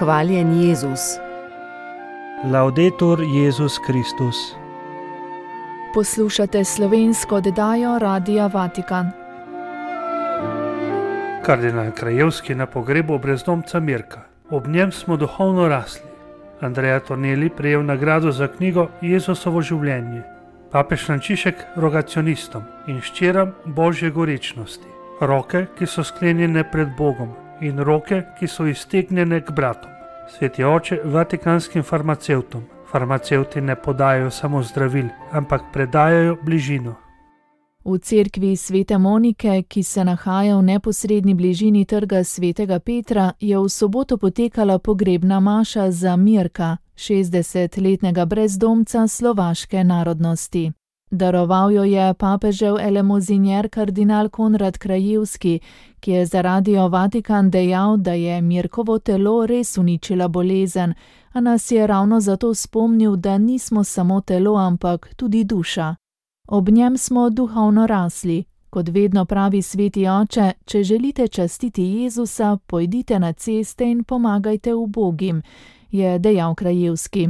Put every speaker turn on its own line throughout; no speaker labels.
Hvaljen Jezus.
Laudetur Jezus Kristus.
Poslušate slovensko oddajo Radia Vatikan.
Kardinal Krajevski na pogrebu brezdomca Mirka. Ob njem smo duhovno rasli. Andrea Tornelli prejel nagrado za knjigo Jezusovo življenje. Papež Frančišek rogacionistom in ščeram Božje gorečnosti. Roke, ki so sklenjene pred Bogom, in roke, ki so iztegnjene k bratom. Sveti oče vatikanskim farmacevtom. Farmacevti ne podajajo samo zdravil, ampak predajajo bližino.
V cerkvi Svete Monike, ki se nahaja v neposredni bližini trga Svetega Petra, je v soboto potekala pogrebna maša za Mirka, 60-letnega brezdomca slovaške narodnosti. Daroval jo je papežev elemozinjer kardinal Konrad Krajevski, ki je za Radio Vatikan dejal, da je Mirkovo telo res uničila bolezen, a nas je ravno zato spomnil, da nismo samo telo, ampak tudi duša. Ob njem smo duhovno rasli. Kot vedno pravi sveti oče, če želite častiti Jezusa, pojdite na ceste in pomagajte ubogim, je dejal Krajevski.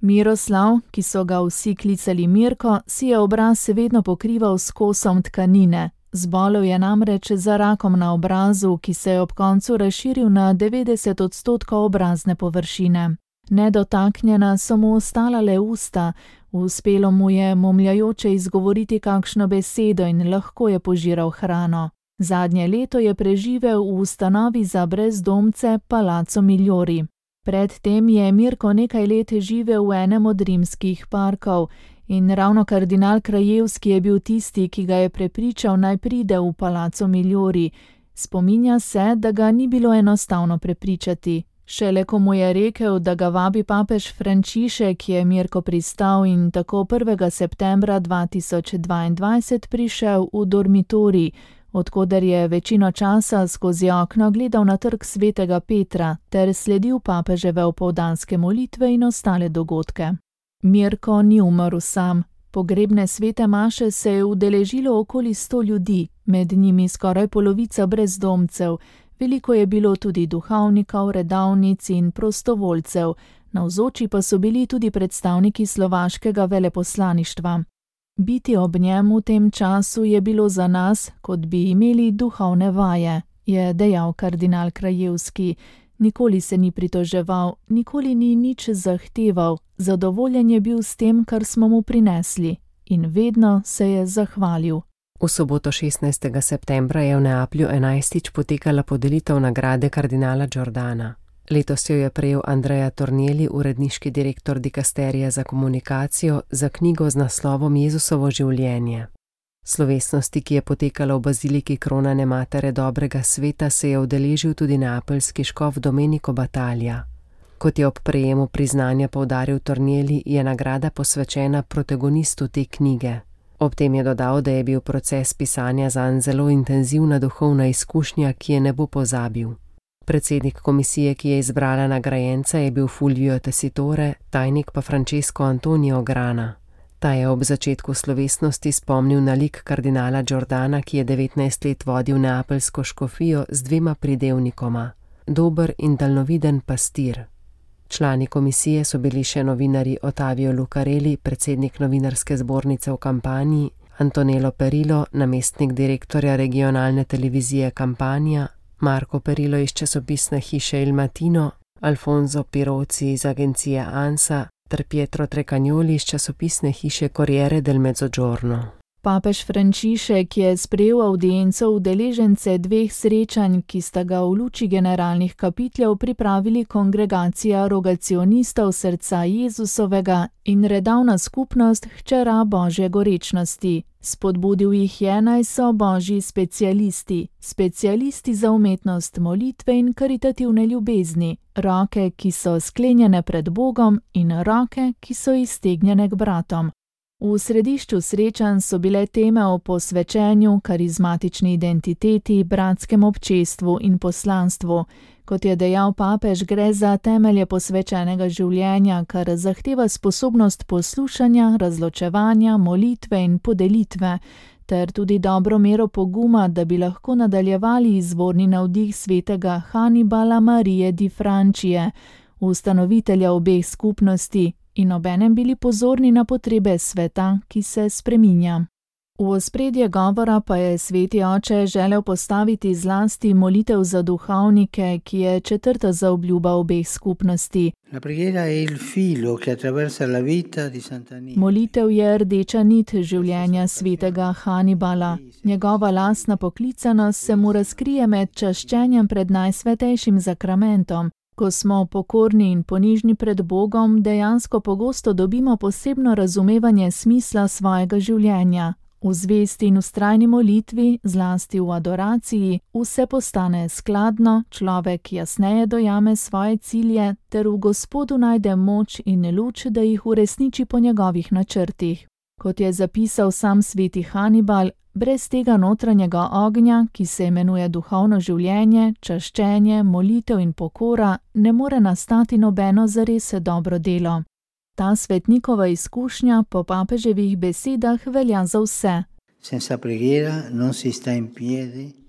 Miroslav, ki so ga vsi klicali Mirko, si je obraz vedno pokrival s kosom tkanine. Zbolel je namreč za rakom na obrazu, ki se je ob koncu razširil na 90% obrazne površine. Nedotaknjena so mu ostala le usta, uspelo mu je momljajoče izgovoriti kakšno besedo in lahko je požiral hrano. Zadnje leto je preživel v ustanovi za brezdomce Palazzo Migliori. Predtem je Mirko nekaj let živel v enem od rimskih parkov in ravno kardinal Krajevski je bil tisti, ki ga je prepričal, naj pride v Palazzo Migliori. Spominja se, da ga ni bilo enostavno prepričati. Šele ko mu je rekel, da ga vabi papež Frančišek, je Mirko pristal in tako 1. septembra 2022 prišel v dormitorij, odkoder je večino časa skozi okno gledal na trg Svetega Petra ter sledil papeževe opoldanske molitve in ostale dogodke. Mirko ni umrl sam. Pogrebne svete maše se je udeležilo okoli 100 ljudi, med njimi skoraj polovica brezdomcev. Veliko je bilo tudi duhovnikov, redavnic in prostovoljcev, navzoči pa so bili tudi predstavniki slovaškega veleposlaništva. Biti ob njem v tem času je bilo za nas, kot bi imeli duhovne vaje, je dejal kardinal Krajevski. Nikoli se ni pritoževal, nikoli ni nič zahteval, zadovoljen je bil s tem, kar smo mu prinesli, in vedno se je zahvalil.
V soboto 16. septembra je v Neaplju 11. potekala podelitev nagrade kardinala Giordana. Letos jo je prejel Andrea Tornelli, uredniški direktor dikasterija za komunikacijo, za knjigo z naslovom Jezusovo življenje. Slovesnosti, ki je potekala v baziliki Kronane Matere dobrega sveta, se je udeležil tudi neapeljski škof Domenico Battaglia. Kot je ob prejemu priznanja poudaril Tornelli, je nagrada posvečena protagonistu te knjige. Ob tem je dodal, da je bil proces pisanja zanj zelo intenzivna duhovna izkušnja, ki je ne bo pozabil. Predsednik komisije, ki je izbrala nagrajenca, je bil Fulvio Tessitore, tajnik pa Francesco Antonio Grana. Ta je ob začetku slovesnosti spomnil na lik kardinala Giordana, ki je 19 let vodil neapeljsko škofijo z 2 pridevnikoma: dober in daljnoviden pastir. Člani komisije so bili še novinarji Ottavio Lucarelli, predsednik novinarske zbornice v Kampaniji, Antonello Perillo, namestnik direktorja regionalne televizije Campania, Marco Perillo iz časopisne hiše Il Mattino, Alfonso Pirozzi iz agencije ANSA ter Pietro Trecagnoli iz časopisne hiše Corriere del Mezzogiorno.
Papež Frančišek je sprejel avdienco udeležence 2 srečanj, ki sta ga v luči generalnih kapiteljev pripravili kongregacija rogacionistov srca Jezusovega in redavna skupnost hčera Božje gorečnosti. Spodbudil jih je, naj so božji specialisti za umetnost molitve in karitativne ljubezni, roke, ki so sklenjene pred Bogom, in roke, ki so iztegnjene k bratom. V središču srečanj so bile teme o posvečenju, karizmatični identiteti, bratskem občestvu in poslanstvu. Kot je dejal papež, gre za temelje posvečenega življenja, kar zahteva sposobnost poslušanja, razločevanja, molitve in podelitve, ter tudi dobro mero poguma, da bi lahko nadaljevali izvorni navdih svetega Hannibala Marie di Francije, ustanovitelja obeh skupnosti, in obenem bili pozorni na potrebe sveta, ki se spreminja. V ospredje govora pa je sveti oče želel postaviti zlasti molitev za duhovnike, ki je četrta zaobljuba obeh skupnosti. Molitev je rdeča nit življenja svetega Hannibala. Njegova lastna poklicanost se mu razkrije med čaščenjem pred najsvetejšim zakramentom. Ko smo pokorni in ponižni pred Bogom, dejansko pogosto dobimo posebno razumevanje smisla svojega življenja. V zvesti in vztrajni molitvi, zlasti v adoraciji, vse postane skladno, človek jasneje dojame svoje cilje ter v Gospodu najde moč in luč, da jih uresniči po njegovih načrtih. Kot je zapisal sam sveti Hannibal, brez tega notranjega ognja, ki se imenuje duhovno življenje, čaščenje, molitev in pokora, ne more nastati nobeno zares dobro delo. Ta svetnikova izkušnja po papeževih besedah velja za vse.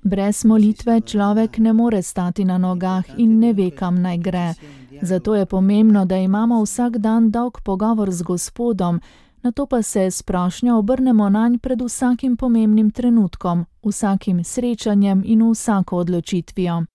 Brez molitve človek ne more stati na nogah in ne ve, kam naj gre. Zato je pomembno, da imamo vsak dan dolg pogovor z Gospodom, nato pa se s prošnjo obrnemo nanj pred vsakim pomembnim trenutkom, vsakim srečanjem in vsako odločitvijo.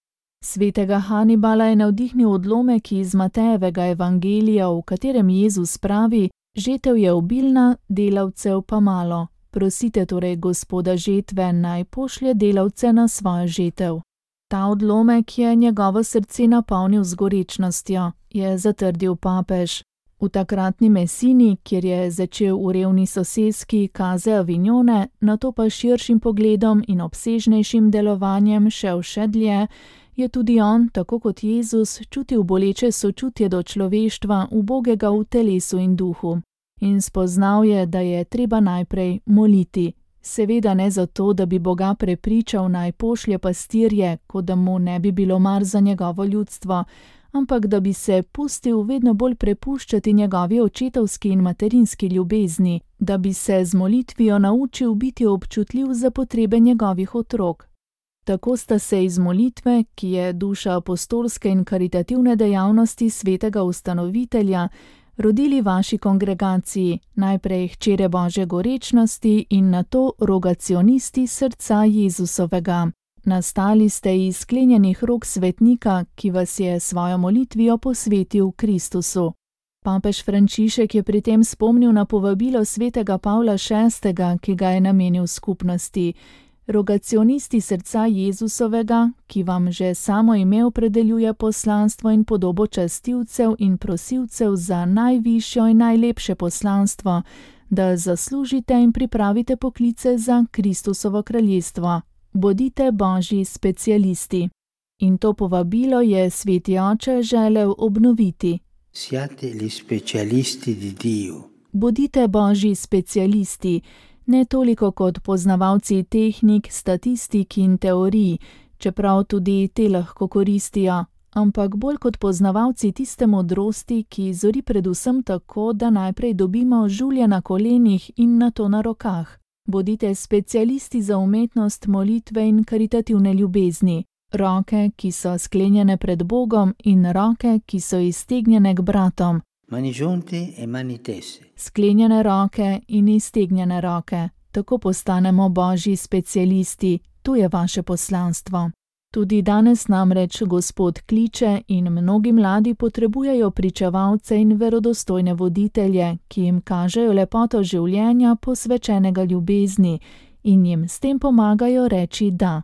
Svetega Hannibala je navdihnil odlomek iz Matejevega evangelija, v katerem Jezus pravi: žetev je obilna, delavcev pa malo. Prosite torej Gospoda žetve, naj pošlje delavce na svojo žetev. Ta odlomek je njegovo srce napolnil z gorečnostjo, je zatrdil papež. V takratni Mesini, kjer je začel v revni soseski Caze Avignone, nato pa širšim pogledom in obsežnejšim delovanjem šel še dlje, je tudi on, tako kot Jezus, čutil boleče sočutje do človeštva, ubogega v telesu in duhu. In spoznal je, da je treba najprej moliti. Seveda ne zato, da bi Boga prepričal, naj pošlje pastirje, kot da mu ne bi bilo mar za njegovo ljudstvo, ampak da bi se pustil vedno bolj prepuščati njegovi očetovski in materinski ljubezni, da bi se z molitvijo naučil biti občutljiv za potrebe njegovih otrok. Tako sta se iz molitve, ki je duša apostolske in karitativne dejavnosti svetega ustanovitelja, rodili vaši kongregaciji, najprej hčere Božje gorečnosti in nato rogacionisti srca Jezusovega. Nastali ste iz sklenjenih rok svetnika, ki vas je svojo molitvijo posvetil Kristusu. Papež Frančišek je pri tem spomnil na povabilo svetega Pavla VI., ki ga je namenil skupnosti. Rogacionisti srca Jezusovega, ki vam že samo ime opredeljuje poslanstvo in podobo častilcev in prosilcev za najvišjo in najlepše poslanstvo, da zaslužite in pripravite poklice za Kristusovo kraljestvo. Bodite Božji specialisti. In to povabilo je sveti oče želel obnoviti.
Siate gli specialisti di Dio.
Bodite Božji specialisti, ne toliko kot poznavalci tehnik, statistik in teorij, čeprav tudi te lahko koristijo, ampak bolj kot poznavalci tiste modrosti, ki zori predvsem tako, da najprej dobimo žulje na kolenih in nato na rokah. Bodite specialisti za umetnost molitve in karitativne ljubezni, roke, ki so sklenjene pred Bogom, in roke, ki so iztegnjene k bratom.
Mani giunte e mani tese.
Sklenjene roke in iztegnjene roke. Tako postanemo Božji specialisti, to je vaše poslanstvo. Tudi danes namreč Gospod kliče in mnogi mladi potrebujejo pričevalce in verodostojne voditelje, ki jim kažejo lepoto življenja posvečenega ljubezni in jim s tem pomagajo reči da.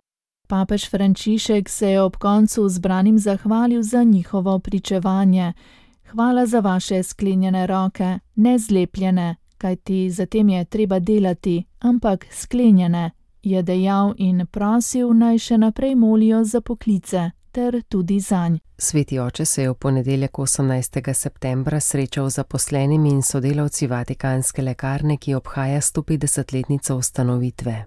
Papež Frančišek se je ob koncu zbranim zahvalil za njihovo pričevanje. Hvala za vaše sklenjene roke, ne zlepljene, kajti zatem je treba delati, ampak sklenjene, je dejal in prosil, naj še naprej molijo za poklice, ter tudi zanj.
Sveti oče se je v ponedeljek 18. septembra srečal z zaposlenimi in sodelavci Vatikanske lekarne, ki obhaja 150-letnico ustanovitve.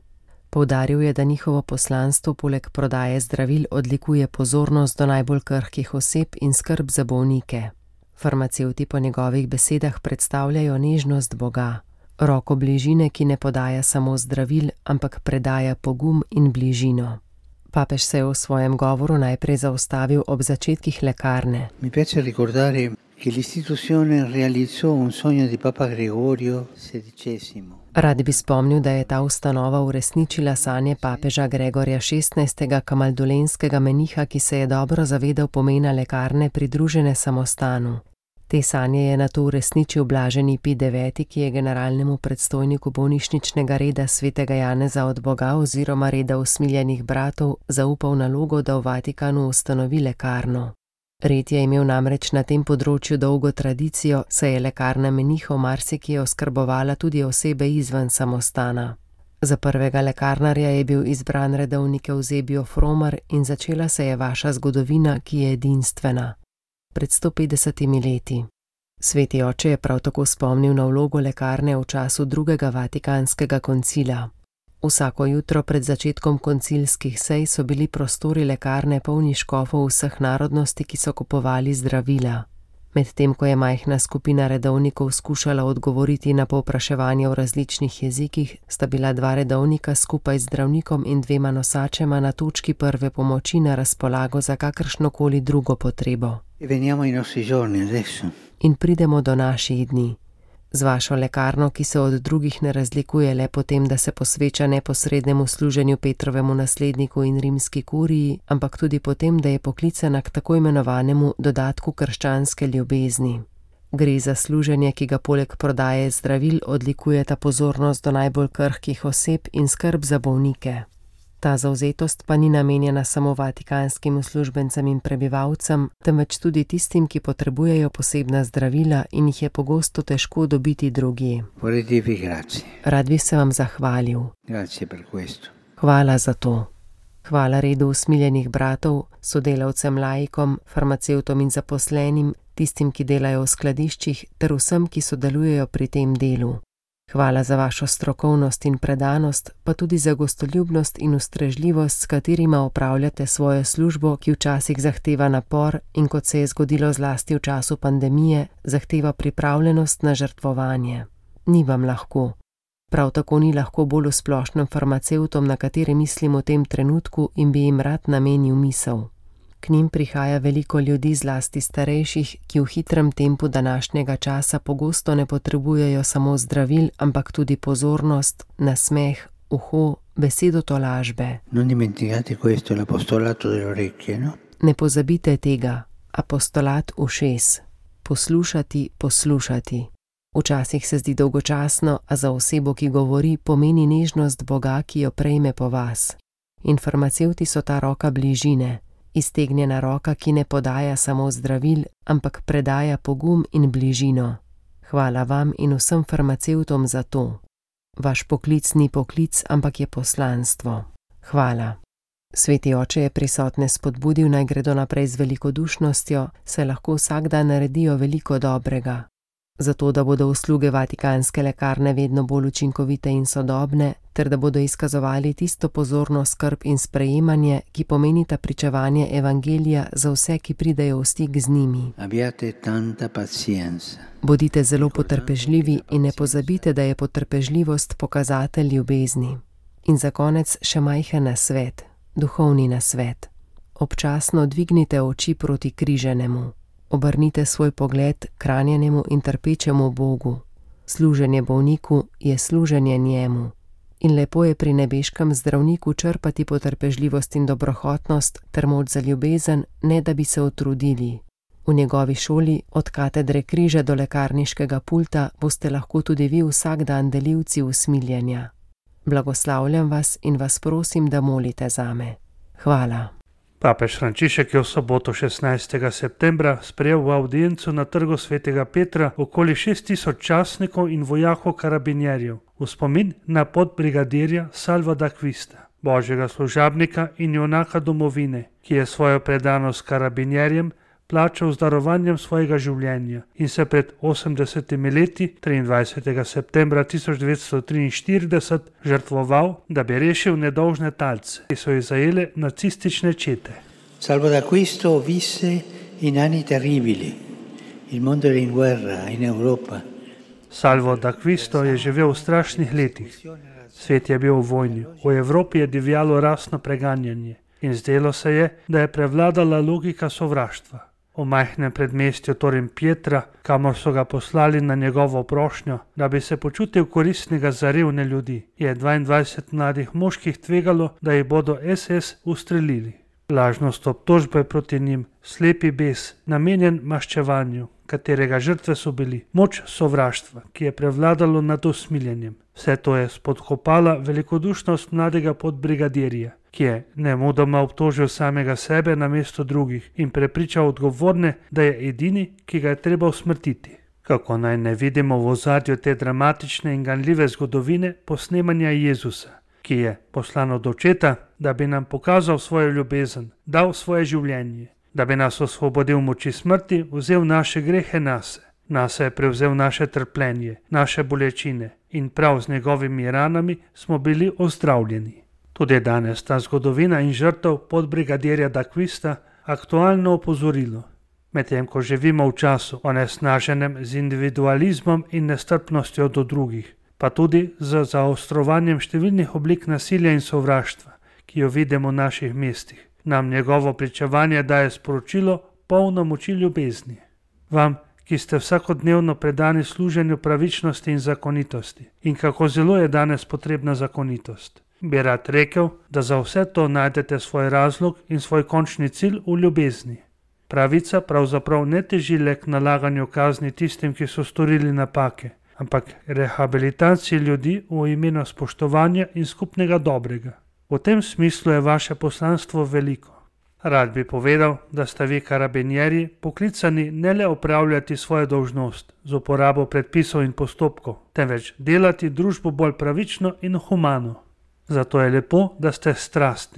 Poudaril je, da njihovo poslanstvo poleg prodaje zdravil odlikuje pozornost do najbolj krhkih oseb in skrb za bolnike. Farmacevti po njegovih besedah predstavljajo nežnost Boga. Roko bližine, ki ne podaja samo zdravil, ampak predaja pogum in bližino. Papež se je v svojem govoru najprej zaustavil ob začetkih lekarne.
Mi piace ricordare che l'istituzione realizzò un sogno di Papa Gregorio XVI.
Rad bi spomnil, da je ta ustanova uresničila sanje papeža Gregorja XVI. Kamaldulenskega meniha, ki se je dobro zavedal pomena lekarne pridružene samostanu. Te sanje je nato uresničil blaženi Pij IX., ki je generalnemu predstojniku bolnišničnega reda svetega Janeza od Boga oziroma reda usmiljenih bratov zaupal nalogo, da v Vatikanu ustanovi lekarno. Red je imel namreč na tem področju dolgo tradicijo, saj je lekarna menihov marsikje oskrbovala tudi osebe izven samostana. Za prvega lekarnarja je bil izbran redovnik Eusebio Fromer in začela se je vaša zgodovina, ki je edinstvena. Pred 150 leti. Sveti oče je prav tako spomnil na vlogo lekarne v času drugega vatikanskega koncila. Vsako jutro pred začetkom koncilskih sej so bili prostori lekarne polni škofov vseh narodnosti, ki so kupovali zdravila. Medtem ko je majhna skupina redovnikov skušala odgovoriti na povpraševanje v različnih jezikih, sta bila 2 redovnika skupaj z zdravnikom in 2 nosačema na točki prve pomoči na razpolago za kakršnokoli drugo potrebo. In pridemo do naših dni. Z vašo lekarno, ki se od drugih ne razlikuje le po tem, da se posveča neposrednemu služenju Petrovemu nasledniku in rimski kuriji, ampak tudi po tem, da je poklicana k tako imenovanemu dodatku krščanske ljubezni. Gre za služenje, ki ga poleg prodaje zdravil odlikujeta pozornost do najbolj krhkih oseb in skrb za bolnike. Ta zavzetost pa ni namenjena samo vatikanskim uslužbencem in prebivalcem, temveč tudi tistim, ki potrebujejo posebna zdravila in jih je pogosto težko dobiti drugje. Rad bi se vam zahvalil. Hvala za to. Hvala redu usmiljenih bratov, sodelavcem laikom, farmacevtom in zaposlenim, tistim, ki delajo v skladiščih, ter vsem, ki sodelujejo pri tem delu. Hvala za vašo strokovnost in predanost, pa tudi za gostoljubnost in ustrežljivost, s katerima opravljate svojo službo, ki včasih zahteva napor in, kot se je zgodilo zlasti v času pandemije, zahteva pripravljenost na žrtvovanje. Ni vam lahko. Prav tako ni lahko bolj splošnim farmacevtom, na katere mislim v tem trenutku in bi jim rad namenil misel. K njim prihaja veliko ljudi, zlasti starejših, ki v hitrem tempu današnjega časa pogosto ne potrebujejo samo zdravil, ampak tudi pozornost, nasmeh, uho, besedo tolažbe. Ne pozabite tega, apostolat ušes. Poslušati, poslušati. Včasih se zdi dolgočasno, a za osebo, ki govori, pomeni nežnost Boga, ki jo prejme po vas. In farmacevti so ta roka bližine. Iztegnjena roka, ki ne podaja samo zdravil, ampak predaja pogum in bližino. Hvala vam in vsem farmacevtom za to. Vaš poklic ni poklic, ampak je poslanstvo. Hvala. Sveti oče je prisotne spodbudil, naj gredo naprej z velikodušnostjo, saj lahko vsak dan naredijo veliko dobrega. Zato, da bodo usluge vatikanske lekarne vedno bolj učinkovite in sodobne, ter da bodo izkazovali tisto pozorno skrb in sprejemanje, ki pomenita pričevanje evangelija za vse, ki pridejo v stik z njimi. Bodite zelo potrpežljivi in ne pozabite, da je potrpežljivost pokazatelj ljubezni. In za konec še majhen nasvet, duhovni nasvet. Občasno dvignite oči proti križenemu. Obrnite svoj pogled k ranjenemu in trpečemu Bogu. Služenje bolniku je služenje njemu. In lepo je pri nebeškem zdravniku črpati potrpežljivost in dobrohotnost ter moč za ljubezen, ne da bi se utrudili. V njegovi šoli, od katedre križa do lekarniškega pulta, boste lahko tudi vi vsak dan delivci usmiljenja. Blagoslavljam vas in vas prosim, da molite zame. Hvala.
Papež Frančišek je v soboto 16. septembra sprejel v audiencu na trgu svetega Petra okoli 6000 častnikov in vojakov karabinjerjev v spomin na podbrigadirja Salva d'Acquista, božjega služabnika in junaka domovine, ki je svojo predanost karabinjerjem plačal z darovanjem svojega življenja in se pred 80 leti, 23. septembra 1943, žrtvoval, da bi rešil nedolžne talce, ki so jih zajele nacistične čete.
Salvo d'Acquisto visse in anni terribili. Il mondo era in guerra in Europa.
Salvo d'Acquisto je živel v strašnih letih. Svet je bil v vojni, v Evropi je divjalo rasno preganjanje in zdelo se je, da je prevladala logika sovraštva. V majhnem predmestju Torim Pietra, kamor so ga poslali na njegovo prošnjo, da bi se počutil koristnega za revne ljudi, je 22 mladih moških tvegalo, da jih bodo SS ustrelili. Lažnost obtožbe proti njim, slepi bes, namenjen maščevanju, katerega žrtve so bili, moč sovraštva, ki je prevladalo nad usmiljenjem. Vse to je spodkopala velikodušnost mladega podbrigadirja, ki je nemudoma obtožil samega sebe namesto drugih in prepričal odgovorne, da je edini, ki ga je treba usmrtiti. Kako naj ne vidimo v ozadju te dramatične in ganljive zgodovine posnemanja Jezusa, ki je poslan od Očeta, da bi nam pokazal svojo ljubezen, dal svoje življenje, da bi nas osvobodil moči smrti, vzel naše grehe nase je prevzel naše trpljenje, naše bolečine in prav z njegovimi ranami smo bili ozdravljeni. Tudi danes ta zgodovina in žrtev podbrigadirja d'Acquista aktualno opozorilo. Medtem ko živimo v času onesnaženem z individualizmom in nestrpnostjo do drugih, pa tudi z zaostrovanjem številnih oblik nasilja in sovraštva, ki jo vidimo v naših mestih, nam njegovo pričevanje daje sporočilo polno moči ljubezni. Vam, ki ste vsakodnevno predani služenju pravičnosti in zakonitosti in kako zelo je danes potrebna zakonitost, bi rad rekel, da za vse to najdete svoj razlog in svoj končni cilj v ljubezni. Pravica pravzaprav ne teži le k nalaganju kazni tistim, ki so storili napake, ampak rehabilitaciji ljudi v imenu spoštovanja in skupnega dobrega. V tem smislu je vaše poslanstvo veliko. Rad bi povedal, da ste vi karabinjeri poklicani ne le opravljati svojo dolžnost z uporabo predpisov in postopkov, temveč delati družbo bolj pravično in humano. Zato je lepo, da ste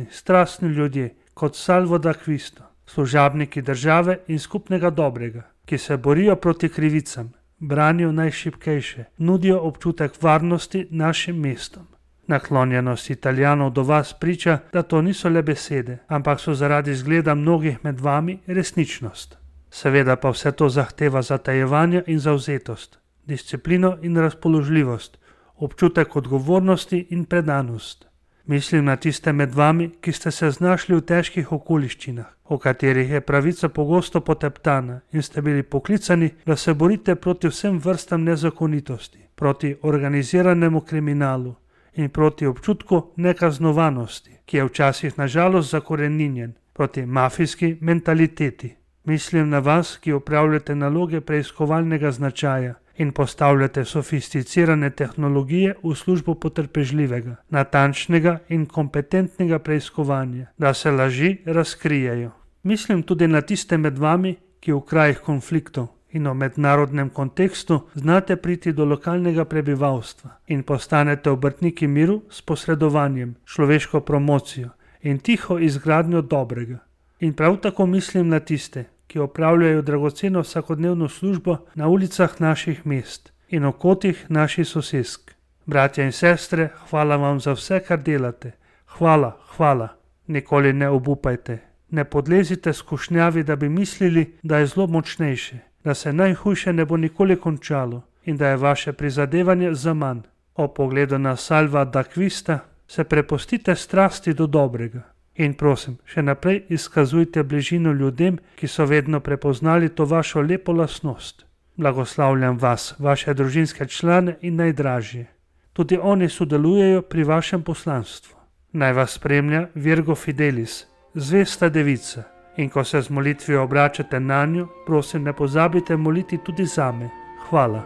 strastni ljudje, kot Salvo d'Acquisto, služabniki države in skupnega dobrega, ki se borijo proti krivicam, branijo najšibkejše, nudijo občutek varnosti našim mestom. Naklonjenost Italijanov do vas priča, da to niso le besede, ampak so zaradi zgleda mnogih med vami resničnost. Seveda pa vse to zahteva zatajevanje in zavzetost, disciplino in razpoložljivost, občutek odgovornosti in predanost. Mislim na tiste med vami, ki ste se znašli v težkih okoliščinah, v katerih je pravica pogosto poteptana in ste bili poklicani, da se borite proti vsem vrstam nezakonitosti, proti organiziranemu kriminalu in proti občutku nekaznovanosti, ki je včasih nažalost zakoreninjen, proti mafijski mentaliteti. Mislim na vas, ki opravljate naloge preiskovalnega značaja in postavljate sofisticirane tehnologije v službo potrpežljivega, natančnega in kompetentnega preiskovanja, da se laži razkrijejo. Mislim tudi na tiste med vami, ki v krajih konfliktov in v mednarodnem kontekstu znate priti do lokalnega prebivalstva in postanete obrtniki miru s posredovanjem, človeško promocijo in tiho izgradnjo dobrega. In prav tako mislim na tiste, ki opravljajo dragoceno vsakodnevno službo na ulicah naših mest in v kotih naših sosesk. Bratje in sestre, hvala vam za vse, kar delate. Hvala. Nikoli ne obupajte. Ne podlezite skušnjavi, da bi mislili, da je zlo močnejše, da se najhujše ne bo nikoli končalo in da je vaše prizadevanje zaman. O pogledu na Salva d'Acquista se prepustite strasti do dobrega. In prosim, še naprej izkazujte bližino ljudem, ki so vedno prepoznali to vašo lepo lastnost. Blagoslavljam vas, vaše družinske člane in najdražje. Tudi oni sodelujejo pri vašem poslanstvu. Naj vas spremlja Virgo Fidelis, zvesta devica. In ko se z molitvijo obračate nanjo, prosim, ne pozabite moliti tudi zame. Hvala.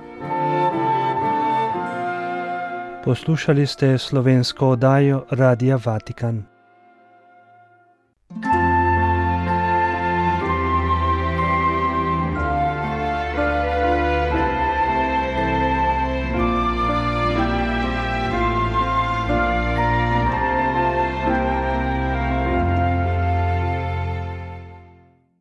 Poslušali ste slovensko oddajo Radia Vatikan.